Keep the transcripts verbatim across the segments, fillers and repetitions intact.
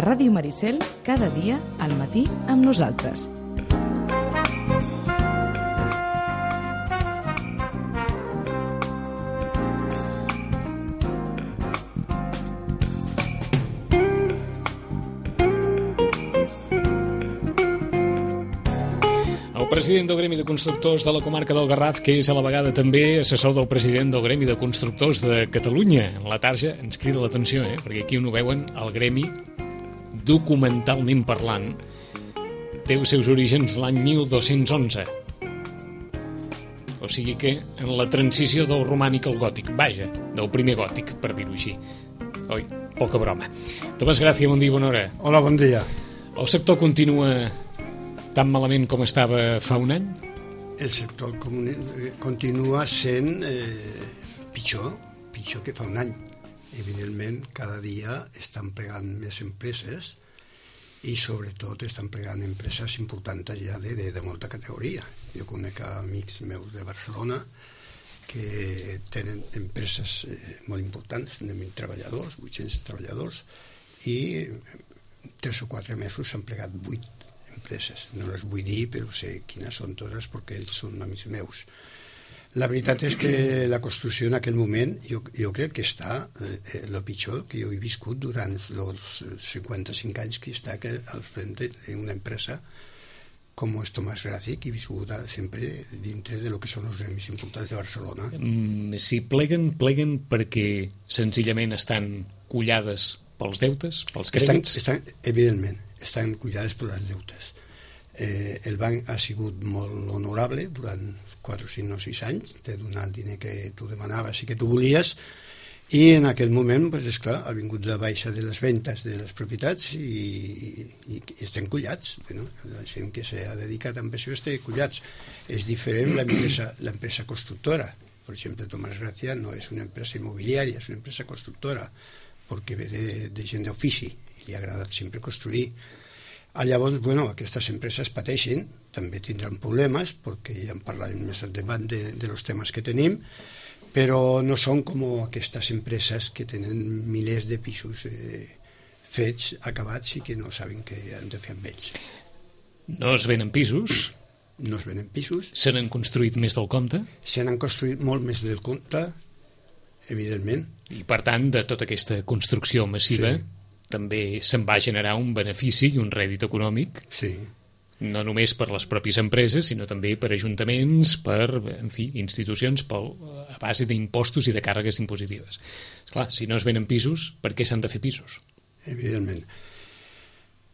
A Ràdio Maricel, cada dia al matí amb nosaltres. El president del Gremi de Constructors de la comarca del Garraf, que és a la vegada també assessor del president del Gremi de Constructors de Catalunya. En la tarja ens crida l'atenció, eh? Perquè aquí on ho veuen, el gremi, documentalment parlant, té els seus orígens l'any mil dos-cents onze. O sigui que en la transició del romànic al gòtic, vaja, del primer gòtic, per dir-ho així. Oi, poca broma. Tomàs Gràcia, bon dia, bona hora. Hola, bon dia. El sector continua tan malament com estava fa un any? El sector continua sent eh, pitjor, pitjor que fa un any. Evidentment, cada dia estan plegant més empreses i sobretot estan plegant empreses importants ja de, de, de molta categoria. Jo conec amics meus de Barcelona que tenen empreses eh, molt importants, de mil treballadors, vuit-cents treballadors, i tres o quatre mesos s'han plegat vuit empreses. No les vull dir, però sé quines són totes perquè ells són amics meus. La veritat és que la construcció en aquell moment jo, jo crec que està eh, el pitjor que jo he viscut durant els cinquanta-cinc anys que està al frente d'una empresa com és Tomàs Gràcia, que he viscut sempre dintre de lo que són els gremis importants de Barcelona. Mm, si pleguen, pleguen perquè senzillament estan collades pels deutes, pels crèdits? Estan, estan, evidentment, estan cuidades per les deutes. Eh, el banc ha sigut molt honorable durant quatre, cinc o sis anys de donar el diner que tu demanaves i que tu volies, i en aquell moment, pues, esclar, ha vingut la baixa de les ventes de les propietats i, i, i estem collats. Bueno, la gent que s'ha dedicat a això està collats. És diferent l'empresa, l'empresa constructora. Per exemple, Tomàs Gràcia no és una empresa immobiliària, és una empresa constructora, perquè ve de, de gent d'ofici i li ha agradat sempre construir. Ah, llavors, bueno, aquestes empreses pateixen, també tindran problemes, perquè ja en parlarem més endavant de, de los temes que tenim, però no són com aquestes empreses que tenen milers de pisos eh, fets, acabats, i que no saben què han de fer amb ells. No es venen pisos? No es venen pisos. Se n'han construït més del compte? Se n'han construït molt més del compte, evidentment. I, per tant, de tota aquesta construcció massiva, sí, també se'n va generar un benefici i un rèdit econòmic, sí, no només per les pròpies empreses, sinó també per ajuntaments, per, en fi, institucions, per, a base d'impostos i de càrregues impositives. Esclar, si no es venen pisos, per què s'han de fer pisos? Evidentment.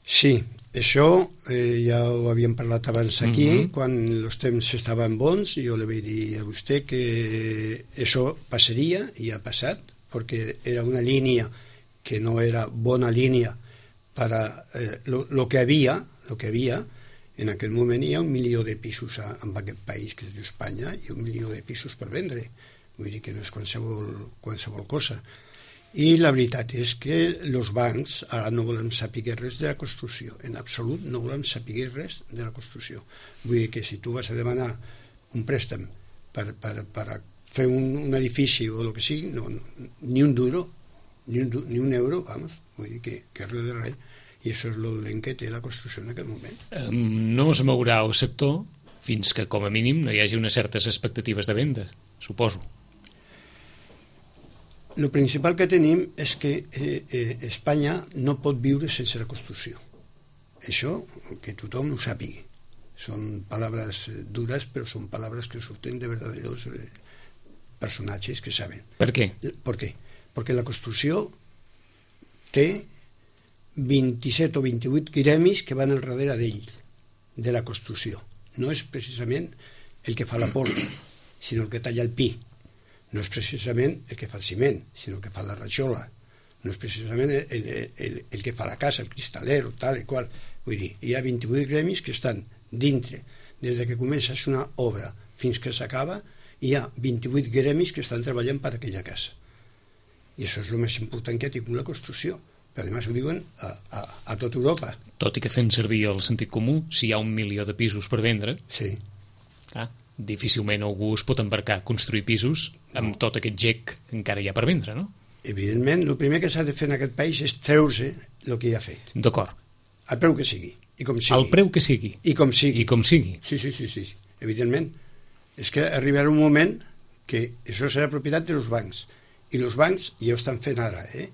Sí, això eh, ja ho havíem parlat abans aquí, uh-huh. Quan els temps estaven bons, jo li vaig dir a vostè que això passaria, i ha passat, perquè era una línia que no era bona línia per a eh, lo, lo que havia, lo que havia, en aquell moment hi ha un milió de pisos a, en aquest país que es diu Espanya, i un milió de pisos per vendre. Vull dir que no és qualsevol, qualsevol cosa. I la veritat és que els bancs ara no volen saber res de la construcció, en absolut no volen saber res de la construcció. Vull dir que si tu vas a demanar un préstec per, per, per fer un, un edifici o el que sigui, no, no, ni un duro, ni un, ni un euro, vamos, vull dir que, que res de res. I això és el dolent que té la construcció en aquest moment. Um, no es mourà el sector fins que, com a mínim, no hi hagi unes certes expectatives de venda, suposo. El principal que tenim és que eh, eh, Espanya no pot viure sense la construcció. Això, que tothom ho sàpiga. Són paraules dures, però són paraules que surten de verdaders eh, personatges que saben. Per què? Per què? Perquè la construcció té vint-i-set o vint-i-vuit gremis que van al darrere d'ell, de la construcció. No és precisament el que fa la porta, sinó el que talla el pi. No és precisament el que fa el ciment, sinó el que fa la rajola. No és precisament el, el, el, el que fa la casa, el cristalero, tal i qual. Vull dir, hi ha vint-i-vuit gremis que estan dintre. Des que comença una obra fins que s'acaba, hi ha vint-i-vuit gremis que estan treballant per aquella casa. I això és el més important que ha tingut la construcció. Però a més ho diuen a, a, a tota Europa. Tot i que fent servir el sentit comú, si hi ha un milió de pisos per vendre, sí, clar, difícilment algú es pot embarcar a construir pisos amb no. tot aquest gec que encara hi ha per vendre, no? evidentment, el primer que s'ha de fer en aquest país és treure el que ja ha fet. D'acord. Al preu que sigui, i com sigui. Al preu que sigui. I com sigui. I com sigui. Sí, sí, sí, sí, evidentment. És que arribarà un moment que això serà propietat dels bancs. I els bancs ja ho estan fent ara, eh?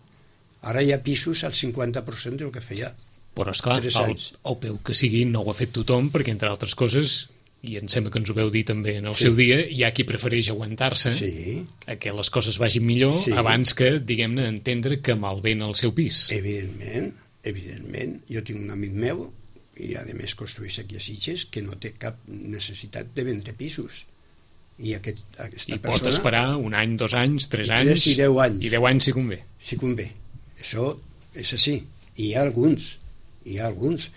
Ara hi ha pisos al cinquanta per cent del que feia. Però, esclar, el, el peu que sigui no ho ha fet tothom, perquè, entre altres coses, i em sembla que ens ho veu dir també en el sí. seu dia, hi ha qui prefereix aguantar-se sí. a que les coses vagin millor sí. abans que, diguem-ne, entendre que malven el seu pis. Evidentment, evidentment. Jo tinc un amic meu, i a més construeix aquí a Sitges, que no té cap necessitat de vendre pisos. I, aquest, aquesta I persona, pot esperar un any, dos anys, tres i anys... I deu anys. I deu anys si convé. Si convé. Això és així. I hi ha alguns, hi ha alguns...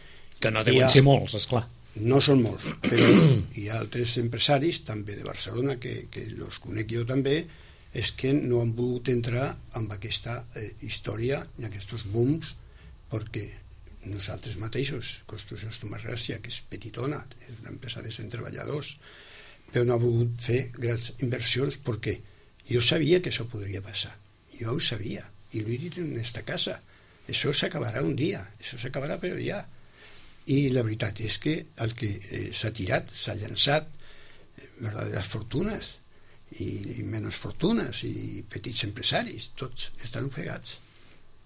Que no deuen ha... ser molts, esclar. No són molts, però hi ha altres empresaris, també de Barcelona, que, que els conec jo també, és que no han volgut entrar en aquesta eh, història, en aquests booms, perquè nosaltres mateixos, Construccions Tomàs Gràcia, que és petitona, és una empresa de cent treballadors, però no ha volgut fer grans inversions perquè jo sabia que això podria passar. Jo ho sabia, i l'he dit en aquesta casa. Això s'acabarà un dia, això s'acabarà però ja. I la veritat és que el que eh, s'ha tirat, s'ha llançat eh, verdaderes fortunes i, i menys fortunes i petits empresaris, tots estan ofegats.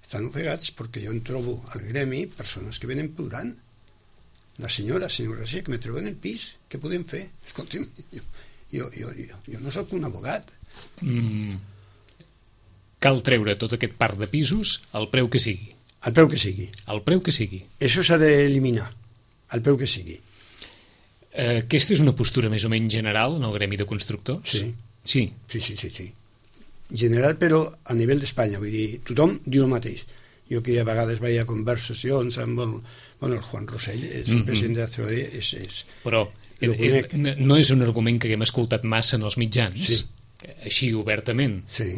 Estan ofegats perquè jo en trobo al gremi persones que venen plorant. La senyora, senyora García, que me treuen el pis, què podem fer? Escolti'm, jo, jo, jo, jo, jo no soc un abogat. Mm. Cal treure tot aquest parc de pisos al preu que sigui. Al preu que sigui. Al preu que sigui. Això s'ha d'eliminar, al preu que sigui. Eh, aquesta és una postura més o menys general en el gremi de constructors? Sí. Sí? Sí, sí, sí, sí. General, però a nivell d'Espanya, vull dir, tothom diu el mateix. Jo que a vegades veia conversacions amb el, bueno, el Juan Rosell, el mm-hmm. president de la C O E, és... és però eh, eh, no és un argument que haguem escoltat massa en els mitjans, sí. Així obertament. Sí.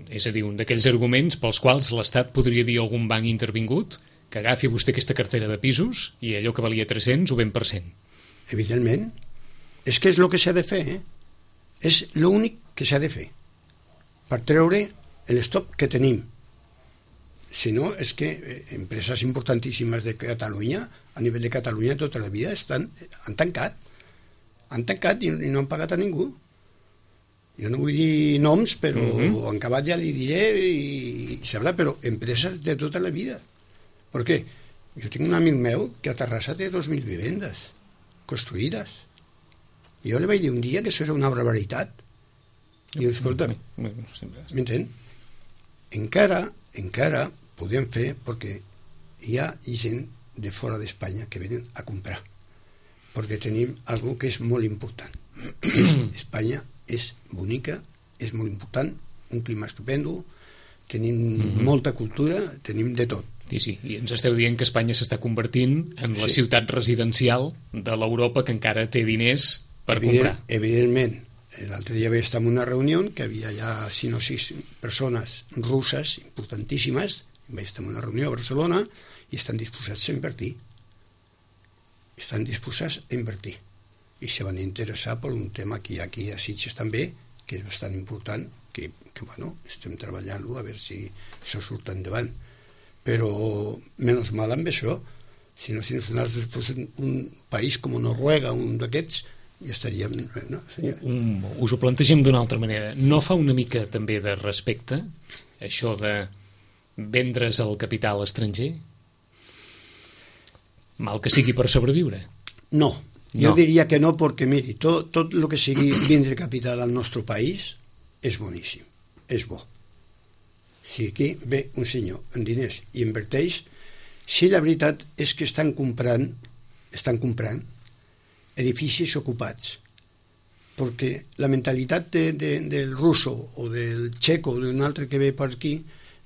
És a dir, un d'aquells arguments pels quals l'Estat podria dir a algun banc intervingut que agafi vostè aquesta cartera de pisos i allò que valia tres-cents ho ven per cent. Evidentment. És que és el que s'ha de fer, eh? És l'únic que s'ha de fer per treure l'estop que tenim. Si no, és que empreses importantíssimes de Catalunya, a nivell de Catalunya tota la vida, estan, han tancat. Han tancat i no han pagat a ningú. Jo no vull dir noms, però uh-huh. en acabat ja li diré i, i sabrà, però empreses de tota la vida. Per què? Jo tinc un amic meu que a Terrassa té dos mil vivendes construïdes. I jo li vaig dir un dia que això era una barbaritat. I escolta, m'entén? Encara, encara podem fer perquè hi ha gent de fora d'Espanya que venen a comprar. Perquè tenim algo que és molt important. És Espanya és bonica, és molt important, un clima estupendo, tenim mm-hmm. molta cultura, tenim de tot. Sí, sí, i ens esteu dient que Espanya s'està convertint en la sí. ciutat residencial de l'Europa que encara té diners per Evident, comprar. Evidentment. L'altre dia vaig estar en una reunió que havia ja cinc o sis persones russes importantíssimes, vaig estar en una reunió a Barcelona i estan disposats a invertir. Estan disposats a invertir. I se van interessar per un tema que hi ha aquí a Sitges també, que és bastant important, que, que bueno, estem treballant-lo a veure si això surt endavant. Però, menys mal amb això, si no, si nosaltres fos un, un país com Noruega, un d'aquests, ja estaríem... No? Seria... Um, us ho plantegem d'una altra manera. No fa una mica també de respecte això de vendre's el capital estranger? Mal que sigui per sobreviure. No. Jo no. diria que no, perquè, miri, tot, tot el que sigui vindre capital al nostre país és boníssim, és bo. Si aquí ve un senyor amb diners i inverteix, si la veritat és que estan comprant, estan comprant edificis ocupats, perquè la mentalitat de, de, del russo o del txeco o d'un altre que ve per aquí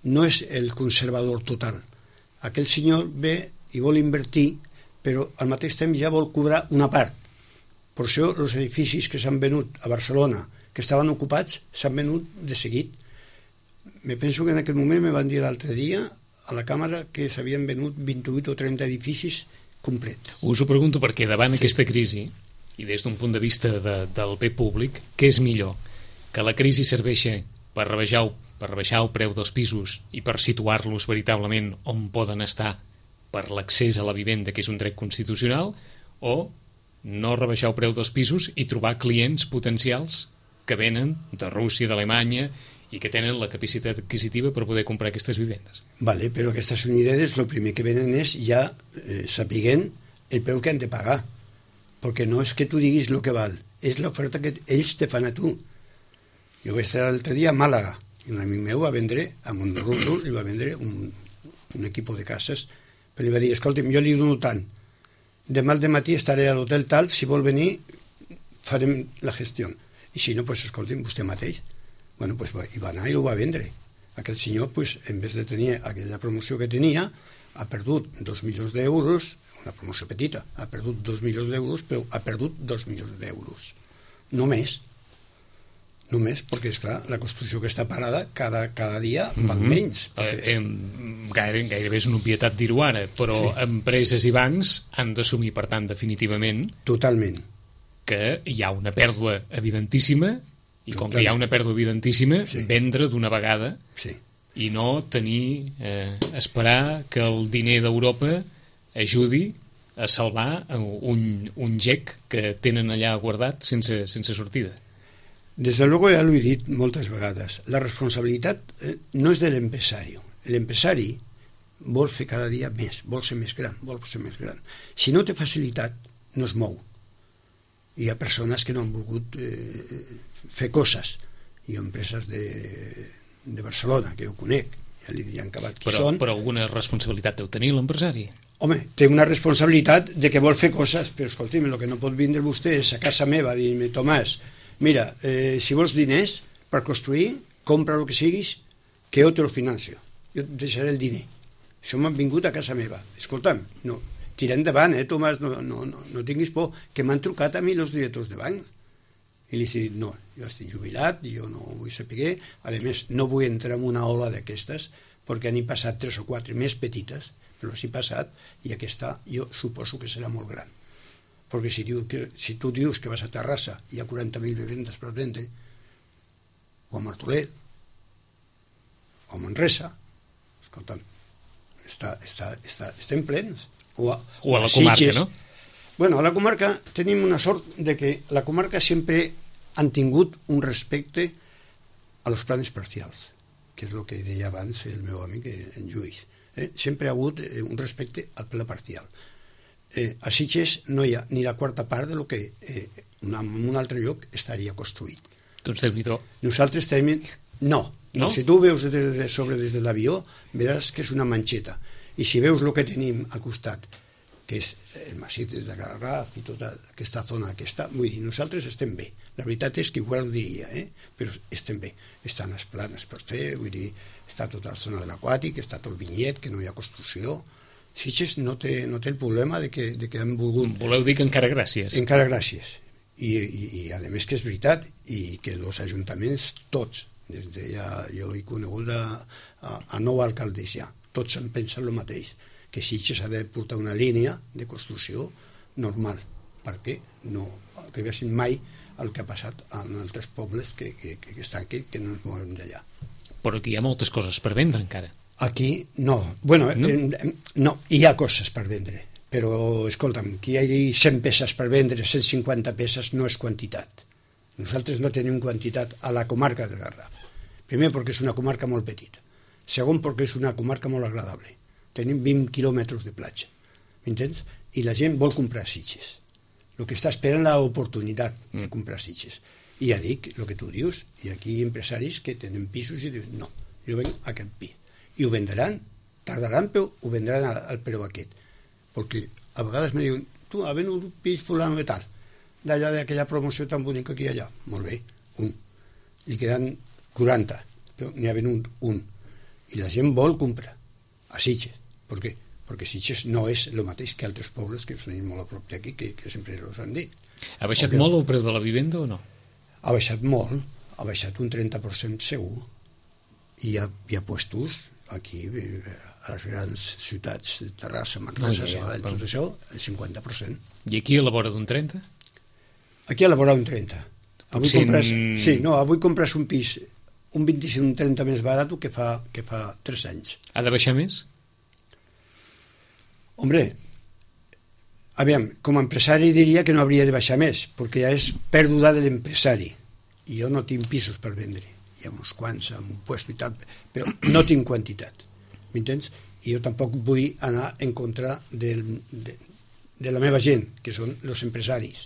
no és el conservador total. Aquell senyor ve i vol invertir, però al mateix temps ja vol cobrar una part. Per això els edificis que s'han venut a Barcelona, que estaven ocupats, s'han venut de seguit. Me penso que en aquell moment me van dir l'altre dia a la càmera que s'havien venut vint-i-vuit o trenta edificis complets. Us ho pregunto perquè davant sí. aquesta crisi, i des d'un punt de vista de, del bé públic, què és millor? Que la crisi serveixi per rebaixar, per rebaixar el preu dels pisos i per situar-los veritablement on poden estar per l'accés a la vivenda, que és un dret constitucional, o no rebaixar el preu dels pisos i trobar clients potencials que venen de Rússia, d'Alemanya, i que tenen la capacitat adquisitiva per poder comprar aquestes vivendes. Vale, però aquestes unidades el primer que venen és ja eh, sapiguent el preu que han de pagar, perquè no és que tu diguis el que val, és l'oferta que ells te fan a tu. Jo vaig estar l'altre dia a Màlaga, i un amic meu va vendre, a Montrús, li va vendre un, un equip de cases, però li va dir, escolta'm, jo li dono tant, demà al matí estaré a l'hotel tal, si vol venir farem la gestió, i si no, pues, escolta'm, vostè mateix. Bueno, pues hi va anar i ho va vendre. Aquell senyor, pues, en vez de tenir aquella promoció que tenia, ha perdut dos milions d'euros, una promoció petita, ha perdut dos milions d'euros, però ha perdut dos milions d'euros. Només. Només, perquè, esclar, la construcció que està parada cada, cada dia val mm-hmm. menys. Perquè... Eh, gaire, gairebé és una obvietat dir-ho ara, però sí. Empreses i bancs han d'assumir, per tant, definitivament... Totalment. Que hi ha una pèrdua evidentíssima, i com que hi ha una pèrdua evidentíssima, sí. Vendre d'una vegada sí. I no tenir, eh, esperar que el diner d'Europa ajudi a salvar un, un gec que tenen allà guardat sense, sense sortida. Desde luego ya lo he dit moltes vegades, la responsabilitat eh, no és de l'empresari. L'empresari vol fer cada dia més, vol ser més gran, vol ser més gran. Si no té facilitat, no es mou. Hi ha persones que no han volgut eh, fer coses. Hi ha empreses de, de Barcelona, que jo conec, ja li han acabat qui però, són. Però alguna responsabilitat deu tenir l'empresari? Home, té una responsabilitat de que vol fer coses, però escolti'm, el que no pot vindre vostè és a casa meva, dir-me, Tomàs, mira, eh, si vols diners per construir, compra el que siguis, que jo te lo financio. Jo et deixaré el diner. Això m'han vingut a casa meva. Escolta'm, no, tira endavant, eh, Tomàs, no, no, no, no tinguis por, que m'han trucat a mi els directors de banc. I li he dit, no, jo estic jubilat, jo no vull saber, a més, no vull entrar en una ola d'aquestes, perquè n'hi passat tres o quatre més petites, però s'hi passat, i aquesta jo suposo que serà molt gran. Perquè si, diu que, si tu dius que vas a Terrassa i hi ha quaranta mil vivendes per vendre, o a Martorell, o a Manresa, escolta'm, està, està, està, estem plens. O a, o a la comarca, Sitges. No? Bueno, a la comarca tenim una sort de que la comarca sempre han tingut un respecte a los planes parcials, que és el que deia abans el meu amic en Lluís. Eh? Sempre ha hagut un respecte al pla parcial. Eh, a Sitges no hi ha ni la quarta part de lo que eh, una, en un altre lloc estaria construït. Doncs Déu-n'hi-do. Nosaltres tenim... No, no, no? Si tu veus de, de sobre des de l'avió, veràs que és una manxeta. I si veus el que tenim al costat, que és el massís de Garraf i tota aquesta zona que està, vull dir, nosaltres estem bé. La veritat és que igual ho diria, eh? Però estem bé. Estan les planes per fer, vull dir, està tota la zona de l'aquàtic, està tot el vinyet, que no hi ha construcció. Sitges no té, no té el problema de que, de que han volgut... Voleu dir que encara gràcies? Encara gràcies. I, i, i a més que és veritat, i que els ajuntaments, tots, des de ja, jo he conegut a, a, a nou alcaldes ja, tots en pensen el mateix, que Sitges ha de portar una línia de construcció normal, perquè no arribessin mai el que ha passat en altres pobles que, que, que estan aquí, que no ens movem d'allà. Però aquí hi ha moltes coses per vendre encara. Aquí no. Bueno, no? Eh, no, hi ha coses per vendre, però escolta'm, que hi hagi cent peces per vendre, cent cinquanta peces no és quantitat. Nosaltres no tenim quantitat a la comarca del Garraf. Primer perquè és una comarca molt petita. Segon perquè és una comarca molt agradable. Tenim vint quilòmetres de platja, m'entens? I la gent vol comprar Sitges. El que està esperant l'oportunitat de comprar Sitges. I ja dic, el que tu dius, hi ha aquí empresaris que tenen pisos i diuen, no, jo venc a aquest pis. I ho vendran, tardaran, però ho vendran al, al preu aquest. Perquè a vegades me diuen, tu, ha venut un pis fulano de tal, d'allà d'aquella promoció tan bonica que hi ha allà. Molt bé, un. Li queden quaranta, però n'hi ha venut un. I la gent vol comprar a Sitges. Per què? Perquè Sitges no és el mateix que altres pobles que tenim molt a prop d'aquí, que, que sempre els han dit. Ha baixat molt el preu de la vivenda o no? Ha baixat molt, ha baixat un trenta per cent segur. I hi ha, hi ha puestos aquí, a les grans ciutats, Terrassa, Manresa, no, ja, ja, Sabadell, però... tot això, el cinquanta per cent. I aquí a la vora d'un trenta? Aquí a la vora d'un trenta. Avui Cent... compres, sí, no, avui compres un pis un vint-i-cinc un trenta més barat que fa, que fa tres anys. Ha de baixar més? Hombre, aviam, com a empresari diria que no hauria de baixar més, perquè ja és pèrdua de l'empresari. I jo no tinc pisos per vendre. Hi ha uns quants amb un puesto i tal, però no tinc quantitat. M'entens? I jo tampoc vull anar en contra del, de, de la meva gent, que són els empresaris,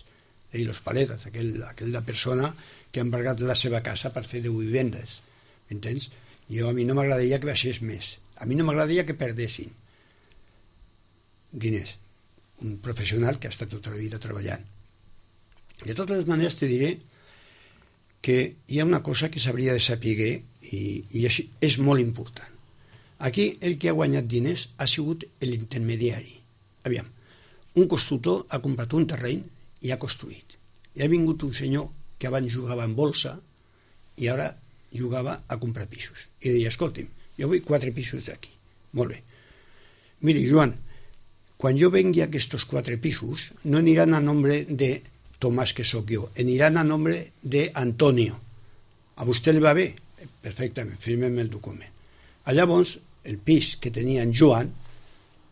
i els paletes, aquell, aquella persona que ha embargat la seva casa per fer deu vivendes. M'entens? Jo a mi no m'agradaria que baixés més. A mi no m'agradaria que perdessin diners. Un professional que ha estat tota la vida treballant. De totes les maneres te diré que hi ha una cosa que s'hauria de saber i, i és, és molt important. Aquí el que ha guanyat diners ha sigut l'intermediari. Aviam, un constructor ha comprat un terreny i ha construït. I ha vingut un senyor que abans jugava en bolsa i ara jugava a comprar pisos. I deia, escolti'm, jo vull quatre pisos d'aquí. Molt bé. Miri, Joan, quan jo vengui aquests quatre pisos, no aniran a nombre de Tomàs, que sóc jo, aniran a nombre de Antonio. A vostè li va bé? Perfectament, firmem el document. Llavors, el pis que tenia en Joan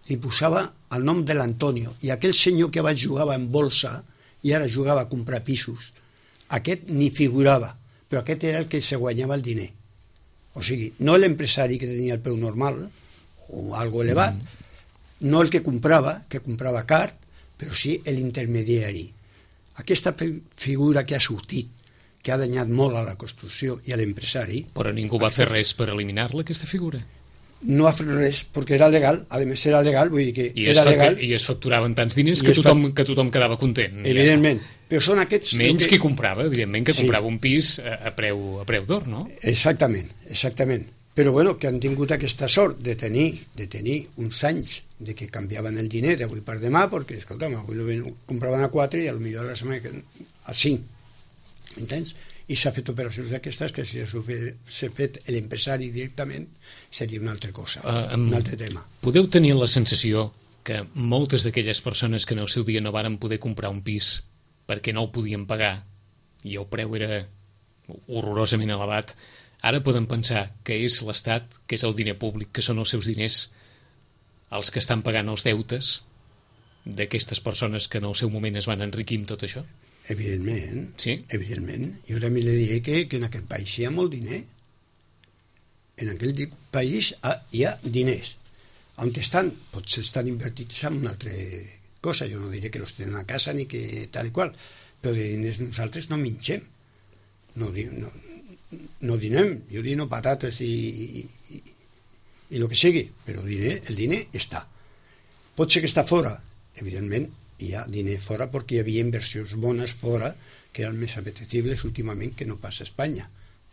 li posava el nom de l'Antonio, i aquell senyor que abans jugava en bolsa i ara jugava a comprar pisos, aquest ni figurava, però aquest era el que se guanyava el diner. O sigui, no l'empresari que tenia el preu normal o algo elevat, mm. no el que comprava, que comprava car, però sí l'intermediari. Aquesta figura que ha sortit, que ha danyat molt a la construcció i a l'empresari... Però ningú va fer res per eliminar-la, aquesta figura? No ha fet res, perquè era legal, a més era legal, vull dir que I era es legal... I es facturaven tants diners que tothom, que tothom quedava content. Evidentment, ja però són aquests... Menys que... qui comprava, evidentment, que sí. comprava un pis a, a preu, a preu d'or, no? Exactament, exactament. Però bueno, que han tingut aquesta sort de tenir, de tenir uns anys de que canviaven el diner d'avui per demà, perquè, escolta'm, avui lo compraven a quatre i potser la setmana que a cinc. Entens? I s'ha fet operacions d'aquestes que si s'ha fet l'empresari directament seria una altra cosa, uh, um, un altre tema. Podeu tenir la sensació que moltes d'aquelles persones que en el seu dia no varen poder comprar un pis perquè no el podien pagar i el preu era horrorosament elevat, ara poden pensar que és l'Estat, que és el diner públic, que són els seus diners els que estan pagant els deutes d'aquestes persones que en el seu moment es van enriquir amb tot això? Evidentment, sí? evidentment. Jo també li diré que, que en aquest país hi ha molt diner. En aquell país hi ha diners. On estan? Potser estan invertits en una altra cosa. Jo no diré que els tenen a casa ni que tal i qual, però de diners nosaltres no mengem. No, no, no dinem. Jo dino patates i, i, i, i el que sigui, però el diner, el diner està. Pot ser que està fora, evidentment, hi ha diner fora perquè hi havia inversions bones fora que eren més apetecibles últimament que no passa a Espanya.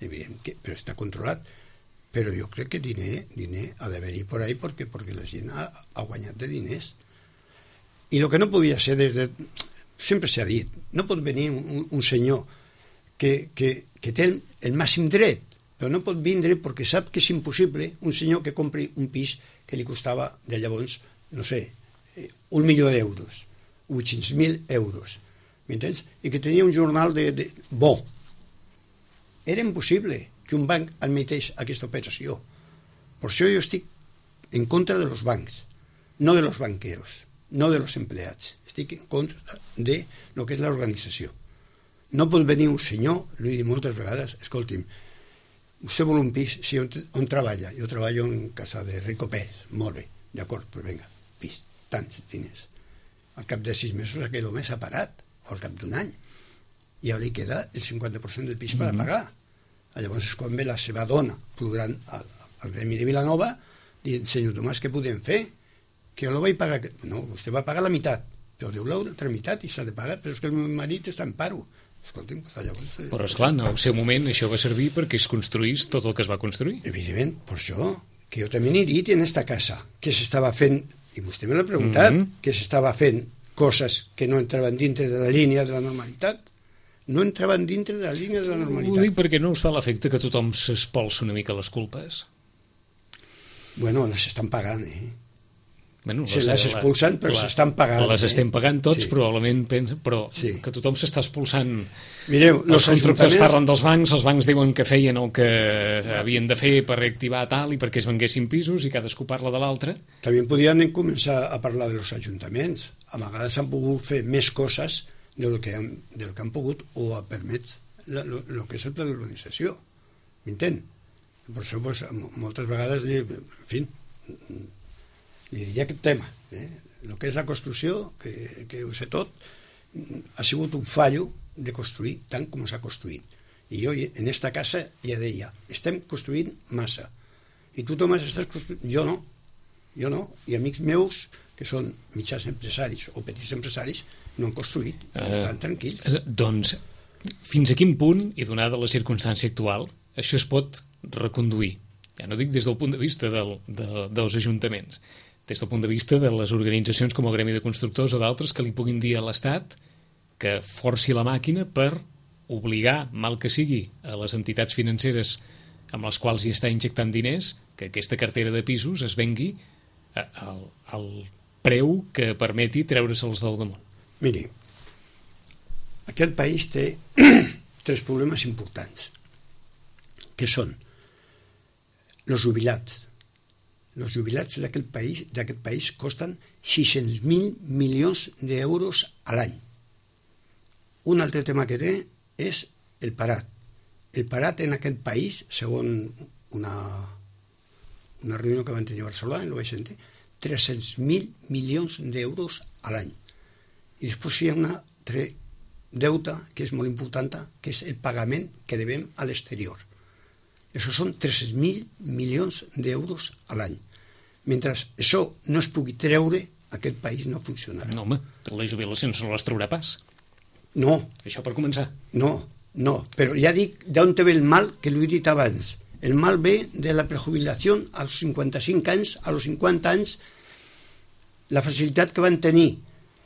Evident que, però està controlat. Però jo crec que diner, diner ha d'haver-hi por ahí perquè, perquè la gent ha, ha guanyat de diners. I el que no podia ser des de... Sempre s'ha dit, no pot venir un, un senyor que, que, que té el, el màxim dret, però no pot vindre perquè sap que és impossible un senyor que compri un pis que li costava de llavors, no sé, un milió d'euros. vuit-cents mil euros, m'entens? I que tenia un jornal de, de bo. Era impossible que un banc admeteix aquesta operació. Per això jo estic en contra de los bancs, no de los banqueros, no de los empleats. Estic en contra de lo que és l'organització. No pot venir un senyor, l'he dit moltes vegades, escolti'm, vostè vol un pis, sí, on, on treballa? Jo treballo en casa de Rico Pérez. Molt bé, d'acord, doncs vinga, pis, tants diners. Al cap de sis mesos aquell home s'ha parat, o al cap d'un any, i ara li queda el cinquanta per cent del pis per a pagar. Llavors és quan ve la seva dona plorant al, al gremi de Vilanova dient, senyor Tomàs, què podem fer? Que jo no vaig pagar... No, vostè va pagar la meitat, però deu l'altra meitat i s'ha de pagar, però és que el meu marit està en paro. Escolti'm, llavors... Però esclar, en el seu moment això va servir perquè es construís tot el que es va construir. Evidentment, per això, que jo també n'he dit en esta casa, que s'estava fent... I vostè me l'ha preguntat, mm-hmm. que s'estava fent coses que no entraven dintre de la línia de la normalitat. No entraven dintre de la línia de la normalitat. Ho dic perquè no us fa l'efecte que tothom s'espolsa una mica les culpes? Bueno, les estan pagant, eh? Bueno, se les expulsen, però s'estan pagant. Les eh? estem pagant tots, sí. probablement, però sí. que tothom s'està expulsant. Mireu, els constructors parlen dels bancs, els bancs diuen que feien el que havien de fer per reactivar tal i perquè es venguessin pisos i cadascú parla de l'altre. També podien començar a parlar dels ajuntaments. A vegades han pogut fer més coses del que han, del que han pogut o ha permet el que és el pla d'urbanització. M'entén? Per això, pues, moltes vegades, en fi, li diria aquest tema. Eh? El que és la construcció, que, que ho sé tot, ha sigut un fallo de construir tant com s'ha construït. I jo en esta casa ja deia, estem construint massa. I tu, Tomàs, estàs construint... Jo no. Jo no. I amics meus, que són mitjans empresaris o petits empresaris, no han construït. Uh, estan tranquils. Uh, doncs, fins a quin punt, i donada la circumstància actual, això es pot reconduir? Ja no dic des del punt de vista del, de, dels ajuntaments, des del punt de vista de les organitzacions com el Gremi de Constructors o d'altres que li puguin dir a l'Estat que forci la màquina per obligar, mal que sigui, a les entitats financeres amb les quals hi està injectant diners, que aquesta cartera de pisos es vengui al, al preu que permeti treure-se'ls del damunt. Miri, aquest país té tres problemes importants, que són els jubilats. Els jubilats d'aquest país, d'aquest país costen sis-cents mil milions d'euros a l'any. Un altre tema que té és el parat. El parat en aquest país, segons una, una reunió que van tenir a Barcelona, no vaig sentir, tres-cents mil milions d'euros a l'any. I després hi ha una altre deute que és molt important, que és el pagament que devem a l'exterior. Això són tres-cents mil milions d'euros a l'any. Mentre això no es pugui treure, aquest país no funcionarà. No, home, les jubilacions no les traurà pas. No. Això per començar. No, no, però ja dic d'on ve el mal, que l'he dit abans. El mal ve de la prejubilació als cinquanta-cinc anys, a los cinquanta anys, la facilitat que van tenir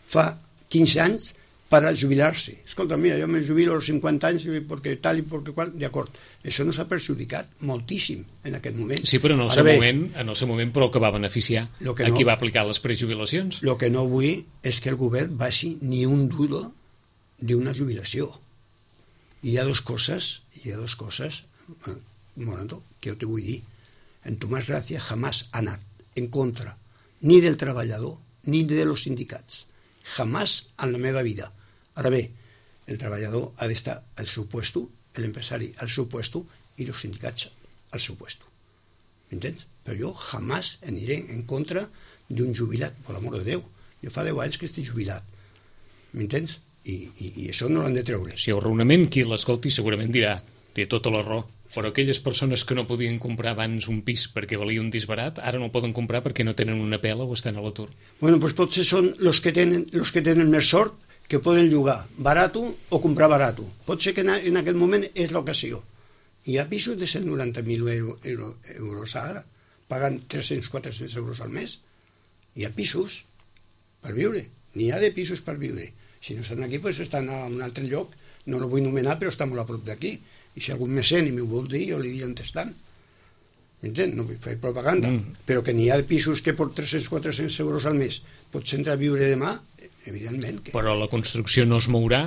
fa quinze anys per a jubilar-se. Escolta, mira, jo me jubilo als cinquanta anys perquè tal i perquè qual, d'acord. Això no s'ha perjudicat moltíssim en aquest moment. Sí, però en el, seu, bé, moment, en el seu moment però que va beneficiar que a no, qui va aplicar les prejubilacions. El que no vull és que el govern baixi ni un duro d'una jubilació. I hi ha dues coses, hi ha dues coses, un moment, que jo te vull dir. En Tomàs Gràcia jamás ha anat en contra ni del treballador ni de los sindicats. Jamás en la meva vida. Ara bé, el treballador ha d'estar al seu puesto, l'empresari al seu puesto i els sindicats al seu puesto. M'entens? Però jo jamás aniré en contra d'un jubilat, per l'amor de Déu. Jo fa deu anys que estic jubilat. M'entens? I, i, i això no l'han de treure. Si el raonament qui l'escolti segurament dirà, té tota la raó, però aquelles persones que no podien comprar abans un pis perquè valia un disbarat, ara no el poden comprar perquè no tenen una pela o estan a l'atur. Bueno, doncs potser són els que tenen, los que tenen més sort, que poden llogar barat o comprar barat. Pot ser que en aquest moment és l'ocasió. Hi ha pisos de cent noranta mil euro, euro, euros ara, pagant tres-cents a quatre-cents euros al mes. Hi ha pisos per viure, n'hi ha de pisos per viure. Si no estan aquí, doncs estan a un altre lloc, no el vull nomenar, però està molt a prop d'aquí. I si algun mecen i m'ho vol dir, jo li diria on estan. M'entén? No vull fer propaganda. Mm. Però que n'hi ha pisos que per tres-cents a quatre-cents euros al mes pots entrar a viure demà, evidentment. Que... Però la construcció no es mourà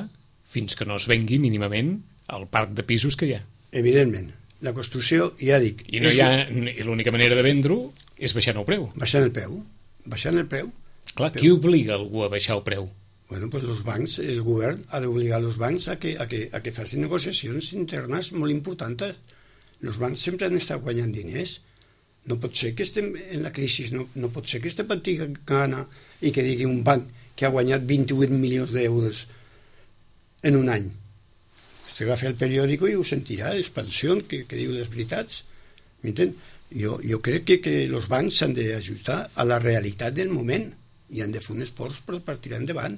fins que no es vengui mínimament el parc de pisos que hi ha. Evidentment. La construcció, ja dic... I, no hi ha, i l'única manera de vendre-ho és baixant el preu. Baixant el preu. Baixant el preu. Clar, qui obliga algú a baixar el preu? Bueno, pues los bancs, el govern ha d'obligar els bancs a que, a, que, a que facin negociacions internes molt importants. Els bancs sempre han estat guanyant diners. No pot ser que estem en la crisi, no, no pot ser que estem patint gana i que digui un banc que ha guanyat vint-i-vuit milions d'euros en un any. Vostè agafa el periòdico i ho sentirà, l'expansió que, que diu les veritats. M'entén? Jo, jo crec que, que els bancs s'han d'ajustar a la realitat del moment i han de fer un esforç per, per tirar endavant.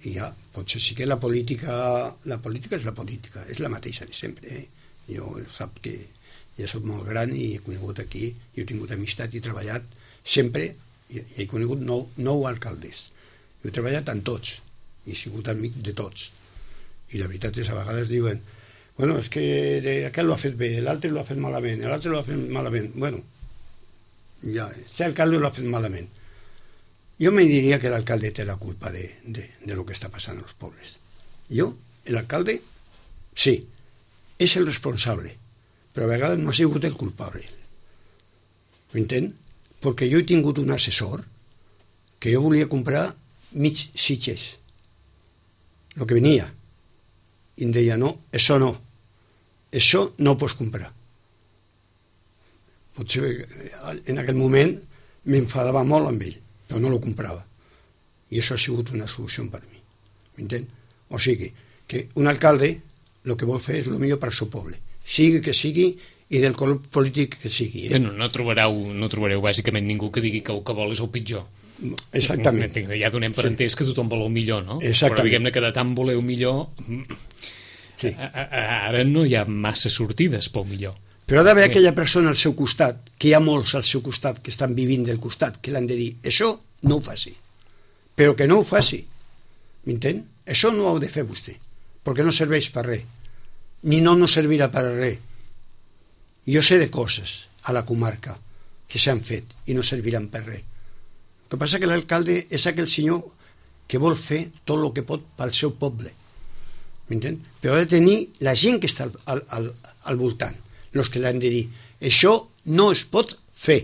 I ja, potser sí que la política, la política és la política, és la mateixa de sempre. Eh? Jo sap que ja soc molt gran i he conegut aquí, i he tingut amistat i he treballat sempre, i he conegut nou, nou alcaldes. Jo he treballat amb tots, i he sigut amic de tots. I la veritat és, a vegades diuen, bueno, és que aquest l'ha fet bé, l'altre l'ha fet malament, l'altre l'ha fet malament. Bueno, ja, este alcalde lo ha fet malament. Jo me diria que l'alcalde té la culpa de, de, de lo que està passant als pobles. Jo, l'alcalde, sí, és el responsable, però a vegades no ha sigut el culpable. M'entén? Perquè jo he tingut un assessor que jo volia comprar mig Sitges, el que venia, i em deia, no, això no, això no ho pots comprar. Potser en aquell moment m'enfadava molt amb ell, però no lo comprava. I això ha sigut una solució per mi. M'entén? O sigui, que un alcalde el que vol fer és el millor per al seu poble, sigui que sigui i del color polític que sigui. Eh? No, no, trobareu, no trobareu bàsicament ningú que digui que el que vol és el pitjor. Exactament. Ja donem per sí. entès que tothom vol el millor, no? Exactament. Però diguem-ne que de tant voleu millor, sí. a, a, ara no hi ha massa sortides pel millor. Però ha d'haver aquella persona al seu costat, que hi ha molts al seu costat que estan vivint del costat, que l'han de dir, això no ho faci, però que no ho faci, m'entén? Això no ho ha de fer vostè, perquè no serveix per res, ni no no servirà per res. Jo sé de coses a la comarca que s'han fet i no serviran per res. El que passa que l'alcalde és aquell senyor que vol fer tot el que pot pel seu poble, m'entén? Però ha de tenir la gent que està al, al, al voltant, els que l'han de dir, això no es pot fer,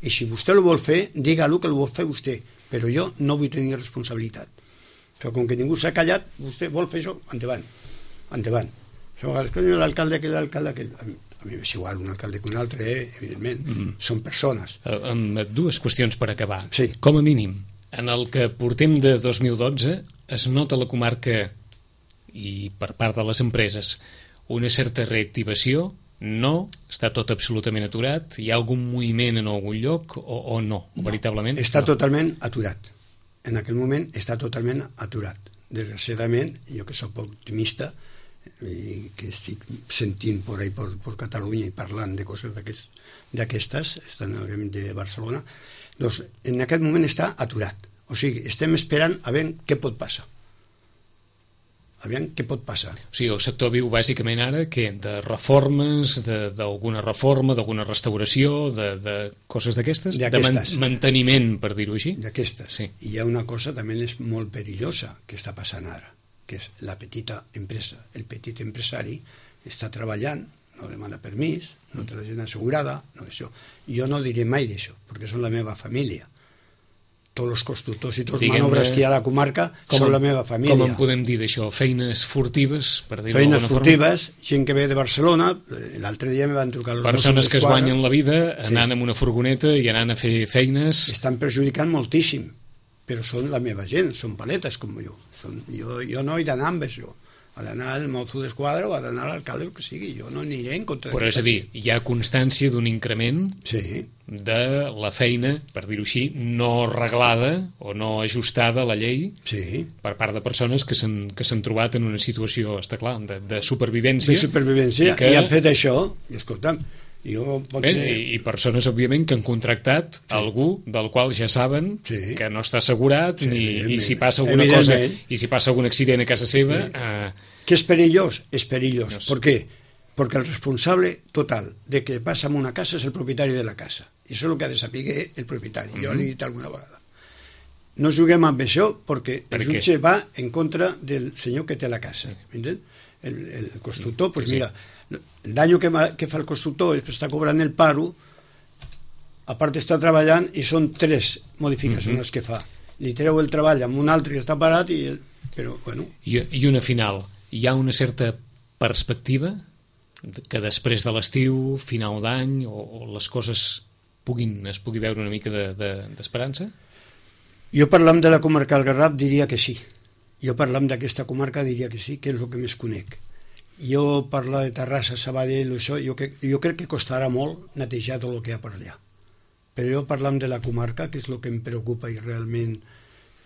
i si vostè ho vol fer, digue-lo que ho vol fer vostè, però jo no vull tenir responsabilitat. Però com que ningú s'ha callat, vostè vol fer això, endavant, endavant. L'alcalde que l'alcalde que... A mi m'és igual un alcalde que un altre, eh? Evidentment, mm-hmm. Són persones. Uh, amb dues qüestions per acabar. Sí. Com a mínim, en el que portem de dos mil dotze, es nota a la comarca, i per part de les empreses, una certa reactivació. No, està tot absolutament aturat, hi ha algun moviment en algun lloc o, o no, no, veritablement? Està no. totalment aturat, en aquell moment està totalment aturat. Desgraciadament, jo que soc optimista i que estic sentint per ahí per, per Catalunya i parlant de coses d'aquestes, estan en el Gremi de Barcelona, doncs en aquest moment està aturat, o sigui, estem esperant a veure què pot passar. Aviam què pot passar. O sigui, el sector viu bàsicament ara que de reformes, d'alguna reforma, d'alguna restauració, de, de coses d'aquestes, de man manteniment, per dir-ho així. D'aquestes. Sí. I hi ha una cosa també és molt perillosa que està passant ara, que és la petita empresa. El petit empresari està treballant, no demana permís, no té la gent assegurada, no això. Jo no diré mai d'això, perquè són la meva família. Tots els constructors i tots els manobres que hi ha a la comarca són la meva família. Com en podem dir d'això? Feines furtives, per dir-ho d'alguna forma? Feines furtives, gent que ve de Barcelona, l'altre dia me van trucar els persones que es guanyen la vida anant amb una furgoneta i anant a fer feines. Estan perjudicant moltíssim, però són la meva gent, són paletes com jo. Són, jo, jo no he d'anar amb això. Ha d'anar al mozo d'esquadra o ha d'anar a l'alcalde, el que sigui. Jo no aniré en contra però és a dir, hi ha constància d'un increment sí. de la feina, per dir-ho així, no reglada o no ajustada a la llei sí. per part de persones que s'han trobat en una situació, està clar, de, de supervivència. De supervivència, i, que... i han fet això, i escolta'm, jo pot Bé, ser... i, i persones, òbviament, que han contractat sí. algú del qual ja saben sí. que no està assegurat sí, ni, i si passa alguna cosa i si passa algun accident a casa seva... Sí. Eh... Que és perillós? És perillós. No sé. Per què? Perquè el responsable total de que passa en una casa és el propietari de la casa. I això és el que ha de saber el propietari. Mm-hmm. Jo l'he dit alguna vegada. No juguem amb això perquè per el jutge va en contra del senyor que té la casa. Sí. El, el constructor, doncs pues sí. mira, el dany que, que fa el constructor és que està cobrant el paro, a part està treballant i són tres modificacions mm-hmm. les que fa. Li treu el treball amb un altre que està parat i... El, però, bueno... I, I una final. Hi ha una certa perspectiva que després de l'estiu, final d'any, o, o les coses puguin, es pugui veure una mica d'esperança? De, de, jo parlant de la comarca del Garraf diria que sí. Jo parlant d'aquesta comarca diria que sí, que és el que més conec. Jo parlar de Terrassa, Sabadell, això, jo, que, jo crec que costarà molt netejar tot el que hi ha per allà. Però jo parlant de la comarca, que és el que em preocupa i realment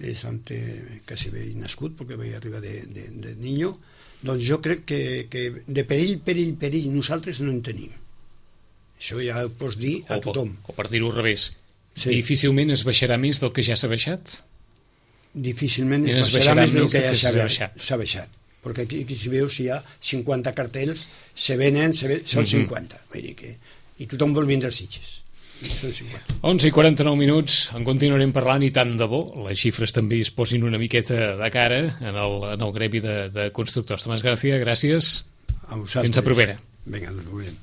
és ante, quasi bé nascut, perquè vaig arribar de, de, de niño, doncs jo crec que, que de perill, perill, perill, nosaltres no en tenim. Això ja ho pots dir a o, tothom. O per dir-ho al revés, sí. Difícilment es baixarà més del que ja s'ha baixat? Difícilment es, es baixarà, baixarà més del que ja s'ha baixat. baixat. Perquè aquí, aquí si veus, si hi ha cinquanta cartells, se venen, se ven, són mm-hmm. cinquanta. Vull dir que, i tothom vol vindre als Sitges. cent cinquanta. onze i quaranta-nou minuts, en continuarem parlant i tant de bo, les xifres també es posin una miqueta de cara en el, en el gremi de, de constructors. Tomàs García, gràcies. A vosaltres. Fins a propera. Vinga, ens veurem.